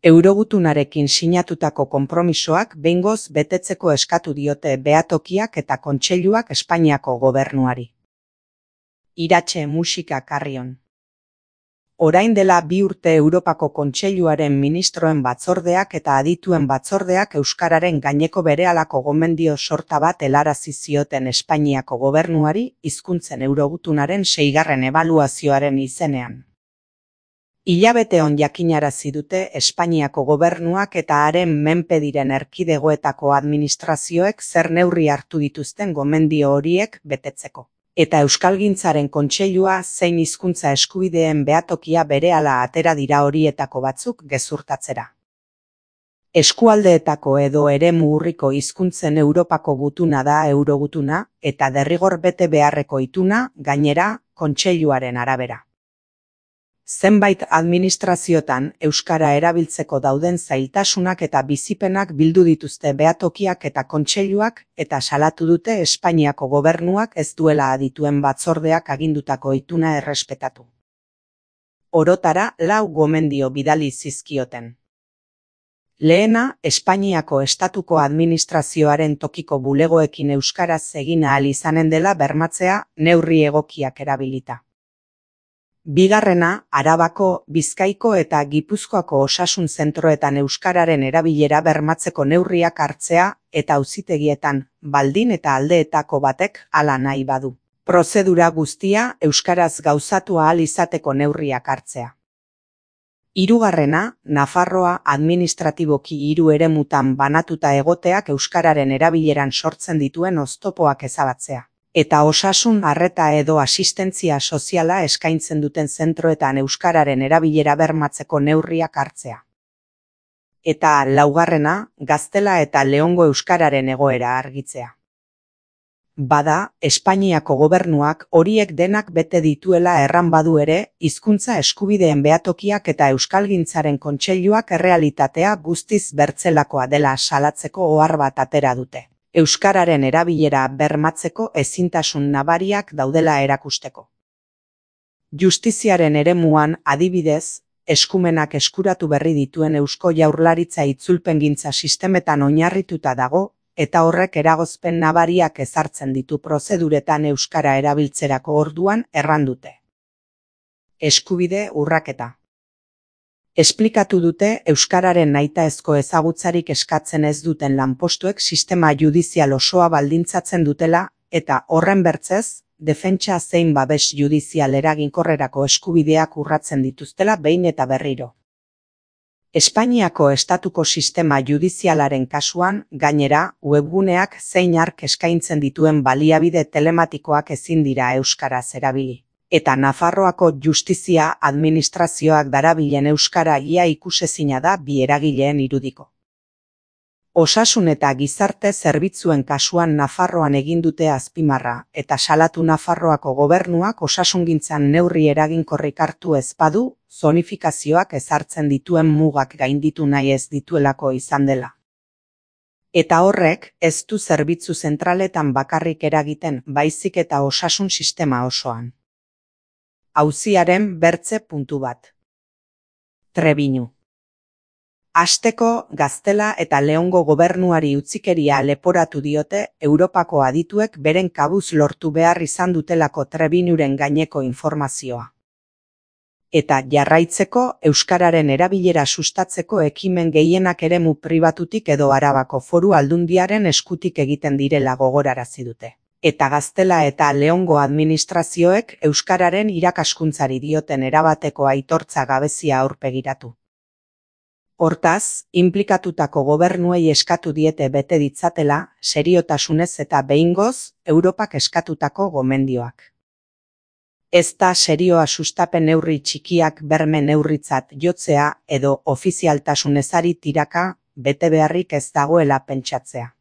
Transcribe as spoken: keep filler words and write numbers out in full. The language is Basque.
Eurogutunarekin sinatutako konpromisoak behingoz betetzeko eskatu diote behatokiak eta kontseiluak Espainiako gobernuari. Iratxe musika Carrion. Orain dela bi urte Europako Kontseiluaren ministroen batzordeak eta adituen batzordeak euskararen gaineko berehalako gomendio sorta bat helarazi zioten Espainiako gobernuari hizkuntzen eurogutunaren seigarren ebaluazioaren izenean. Hilabete on jakinarazi dute Espainiako gobernuak eta haren menpe diren erkidegoetako administrazioek zer neurri hartu dituzten gomendio horiek betetzeko. Eta Euskalgintzaren Kontseilua zein hizkuntza eskubideen behatokia berehala atera dira horietako batzuk gezurtatzera. Eskualdeetako edo eremu urriko hizkuntzen Europako gutuna da eurogutuna eta derrigor bete beharreko ituna, gainera, Kontseiluaren arabera. Zenbait administraziotan euskara erabiltzeko dauden zailtasunak eta bizipenak bildu dituzte behatokiak eta kontseiluak eta salatu dute Espainiako gobernuak ez duela adituen batzordeak agindutako ituna errespetatu. Orotara lau gomendio bidali zizkioten. Lehena, Espainiako estatuko administrazioaren tokiko bulegoekin euskaraz egin ahal izanen dela bermatzea neurri egokiak erabilita. Bigarrena, Arabako, Bizkaiko eta Gipuzkoako osasun zentroetan euskararen erabilera bermatzeko neurriak hartzea eta auzitegietan, baldin eta aldeetako batek hala nahi badu. Prozedura guztia euskaraz gauzatu ahal izateko neurriak hartzea. Hirugarrena, Nafarroa administratiboki hiru eremutan banatuta egoteak euskararen erabileran sortzen dituen oztopoak ezabatzea. Eta osasun arreta edo asistentzia soziala eskaintzen duten zentroetan euskararen erabilera bermatzeko neurriak hartzea. Eta laugarrena, Gaztela eta Leongo euskararen egoera argitzea. Bada, Espainiako gobernuak horiek denak bete dituela erran badu ere, hizkuntza eskubideen behatokiak eta Euskalgintzaren Kontseiluak errealitatea guztiz bertzelakoa dela salatzeko ohar bat atera dute. Euskararen erabilera bermatzeko ezintasun nabariak daudela erakusteko. Justiziaren eremuan, adibidez, eskumenak eskuratu berri dituen Eusko Jaurlaritza itzulpengintza sistemetan oinarrituta dago, eta horrek eragozpen nabariak ezartzen ditu prozeduretan euskara erabiltzerako orduan erran dute. Eskubide urraketa. Esplikatu dute euskararen nahitaezko ezagutzarik eskatzen ez duten lanpostuek sistema judizial osoa baldintzatzen dutela eta horren bertzez, defentsa zein babes judizial eraginkorrerako eskubideak urratzen dituztela behin eta berriro. Espainiako estatuko sistema judizialaren kasuan, gainera, webguneak zein hark eskaintzen dituen baliabide telematikoak ezin dira euskaraz erabili. Eta Nafarroako justizia administrazioak darabilen euskara ia ikusezina da bi eragileen irudiko. Osasun eta gizarte zerbitzuen kasuan Nafarroan egin dute azpimarra eta salatu Nafarroako gobernuak osasungintzan neurri eraginkorrik hartu ez badu, zonifikazioak ezartzen dituen mugak gainditu nahi ez dituelako izan dela. Eta horrek ez du zerbitzu zentraletan bakarrik eragiten, baizik eta osasun sistema osoan. Auziaren bertze puntu bat. Trebiñu. Hasteko, Gaztela eta Leongo gobernuari utzikeria leporatu diote Europako adituek beren kabuz lortu behar izan dutelako Trebiñuren gaineko informazioa. Eta jarraitzeko, euskararen erabilera sustatzeko ekimen gehienak eremu pribatutik edo Arabako Foru Aldundiaren eskutik egiten direla gogorarazi dute. Eta Gaztela eta Leongo administrazioek euskararen irakaskuntzari dioten erabateko aitortza gabezia aurpegiratu. Hortaz, inplikatutako gobernuei eskatu diete bete ditzatela, seriotasunez eta behingoz, Europak eskatutako gomendioak. Ez da serioa sustapen neurri txikiak berme neurritzat jotzea edo ofizialtasun ezari tiraka bete beharrik ez dagoela pentsatzea.